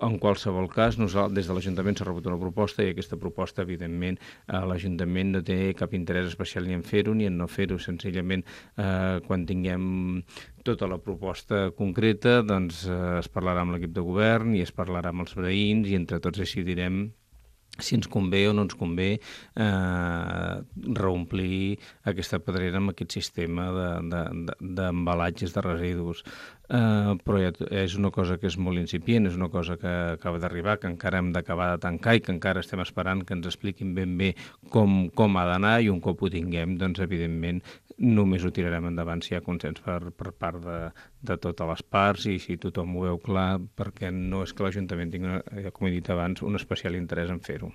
en qualsevol cas, des de l'Ajuntament s'ha rebut una proposta i aquesta proposta, evidentment, l'Ajuntament no té cap interès especial ni en fer-ho ni en no fer-ho. Senzillament, quan tinguem tota la proposta concreta, doncs es parlarà amb l'equip de govern i es parlarà amb els veïns i entre tots decidirem si ens convé o no ens convé reomplir aquesta pedrera amb aquest sistema d'embalatges de residus. Però és una cosa que és molt incipient, és una cosa que acaba d'arribar, que encara hem d'acabar de tancar i que encara estem esperant que ens expliquin ben bé com ha d'anar i un cop ho tinguem, doncs evidentment només ho tirarem endavant si hi ha consens per part de totes les parts i si tothom ho veu clar, perquè no és que l'Ajuntament tingui, com he dit abans, un especial interès en fer-ho.